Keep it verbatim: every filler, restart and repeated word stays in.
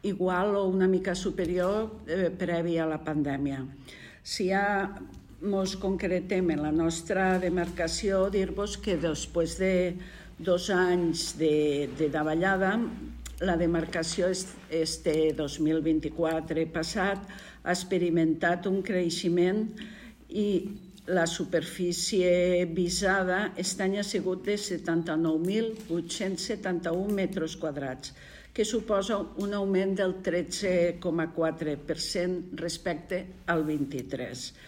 igual o una mica superior eh, previ a la pandèmia. Si ja ens concretem en la nostra demarcació, dir-vos que després de dos anys de, de davallada, la demarcació este dos mil vint-i-quatre passat ha experimentat un creixement i la superfície visada aquest any ha sigut de setanta-nou mil vuit-cents setanta-un metres quadrats, que suposa un augment del tretze coma quatre per cent respecte al vint-i-tres.